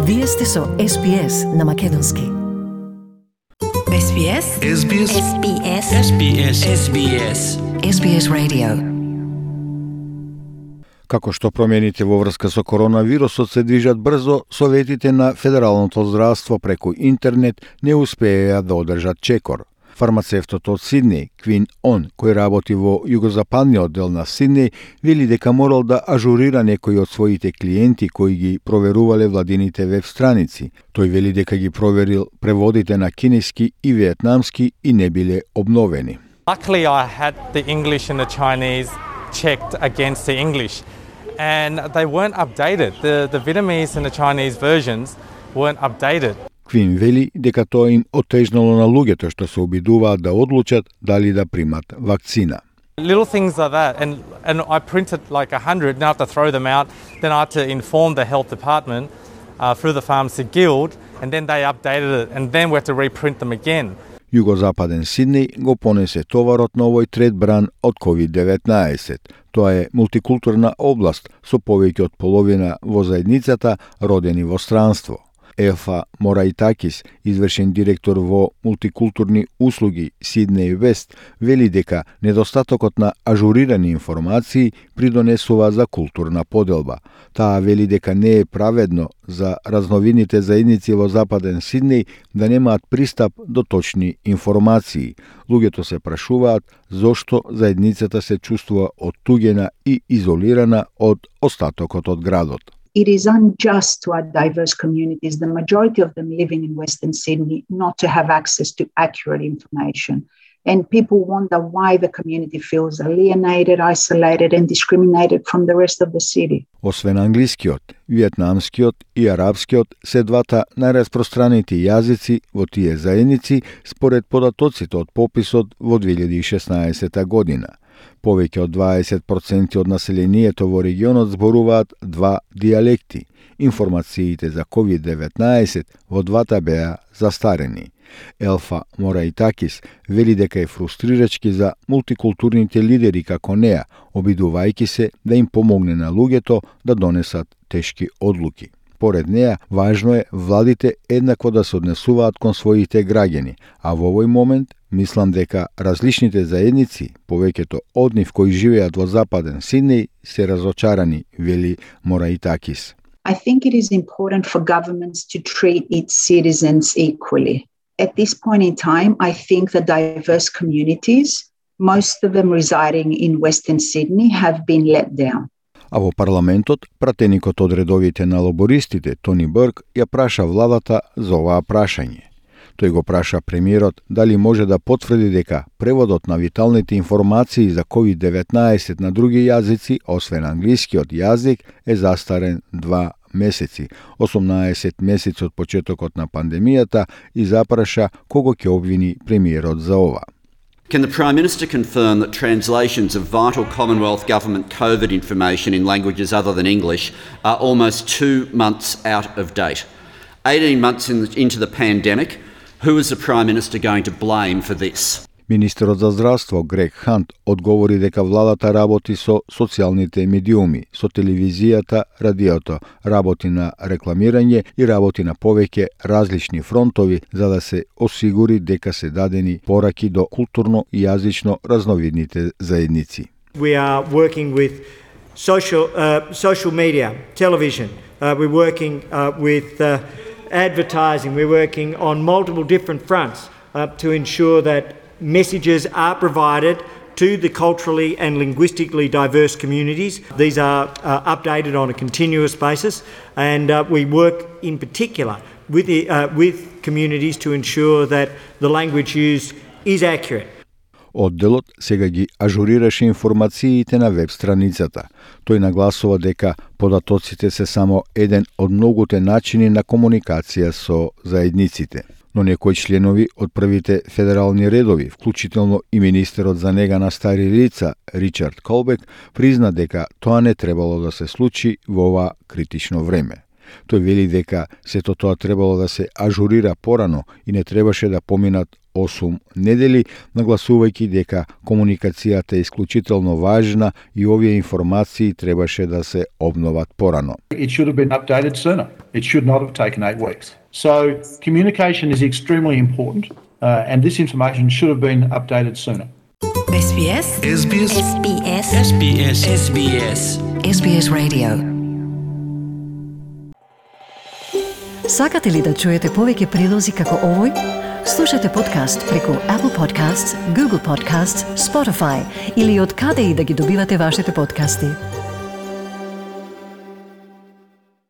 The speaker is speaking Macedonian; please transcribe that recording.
Вие сте со SBS на македонски. SBS SBS SBS SBS SBS SBS Radio. Како што промените во врска со коронавирусот се движат брзо, советите на Федералното здравство преку интернет не успееја да одржат чекор. Фармацевтот од Сиднеј, Квин Он, кој работи во југозападниот дел на Сиднеј, вели дека морал да ажурира некои од своите клиенти кои ги проверувале владините веб страници. Тој вели дека ги проверил преводите на кинески и виетнамски и не биле обновени. Luckily, I had the English and the Chinese checked against the English, and they weren't updated. The Vietnamese and the Chinese versions weren't updated. Квин вели дека тоа им отежнало на луѓето што се обидуваат да одлучат дали да примат вакцина. Little things like that, and I printed like 100, now I have to throw them out, then I had to inform the health department through the Pharmacy Guild, and then they updated it, and then we had to reprint them again. Југозападен Сиднеј го понесе товарот на овој трет бран од COVID-19. Тоа е мултикултурна област со повеќе од половина во заедницата родени во странство. Елфа Мораитакис, извршен директор во мултикултурни услуги Сиднеј Вест, вели дека недостатокот на ажурирани информации придонесува за културна поделба. Таа вели дека не е праведно за разновидните заедници во Западен Сиднеј да немаат пристап до точни информации. Луѓето се прашуваат зошто заедницата се чувствува оттуѓена и изолирана од остатокот од градот. It is unjust to our diverse communities, the majority of them living in Western Sydney, not to have access to accurate information. And people wonder why the community feels alienated, isolated and discriminated from the rest of the city. Освен англискиот, виетнамскиот и арапскиот се двата најраспространети јазици во тие заедници според податоците од пописот во 2016 година. Повеќе од 20% од населението во регионот зборуваат два дијалекти. Информациите за COVID-19 во двата беа застарени. Елфа Мораитакис вели дека е фрустрирачки за мултикултурните лидери како неа, обидувајќи се да им помогне на луѓето да донесат тешки одлуки. Поред неа, важно е владите еднакво да се однесуваат кон своите граѓани, а во овој момент мислам дека различните заедници, повеќето од нив кои живеат во Западен Сиднеј, се разочарани, вели Мораитакис. I think it is important for governments to treat its citizens equally. At this point in time, I think the diverse communities, most of them residing in Western Sydney, have been let down. А во парламентот, пратеникот од редовите на лабористите, Тони Бърк, ја праша владата за оваа прашање. Тој го праша премиерот дали може да потврди дека преводот на виталните информации за COVID-19 на други јазици, освен англискиот јазик, е застарен 2 месеци, 18 месеци од почетокот на пандемијата, и запраша кого ќе обвини премиерот за ова. Can the Prime Minister confirm that translations of vital Commonwealth Government COVID information in languages other than English are almost 2 months out of date? 18 months into the pandemic, who is the Prime Minister going to blame for this? Министерот за здравство Грег Хант одговори дека владата работи со социјалните медиуми, со телевизијата, радиото, работи на рекламирање и работи на повеќе различни фронтови за да се осигури дека се дадени пораки до културно и јазично разновидните заедници. We are working with social media, television. We're working with advertising. We're working on multiple different fronts to ensure that messages are provided to the culturally and linguistically diverse communities. These are updated on a continuous basis, and we work in particular with communities to ensure that the language used is accurate. Одделот сега ги ажурираше информациите на веб страницата. Тој нагласува дека податоците се само еден од многуте начини на комуникација со заедниците. Но некои членови од првите федерални редови, вклучително и министерот за нега на стари лица Ричард Колбек, призна дека тоа не требало да се случи во ова критично време. Тој вели дека сето тоа требало да се ажурира порано и не требаше да поминат 8 недели, нагласувајќи дека комуникацијата е исклучително важна и овие информации требаше да се обноват порано. It should have been updated sooner. It should not have taken 8 weeks. So communication is extremely important and this information should have been updated sooner. SBS SBS SBS SBS SBS SBS Radio. Сакате ли да чуете повеќе прилози како овој? Слушате подкаст преку Apple Podcasts, Google Podcasts, Spotify или од каде и да ги добивате вашите подкасти.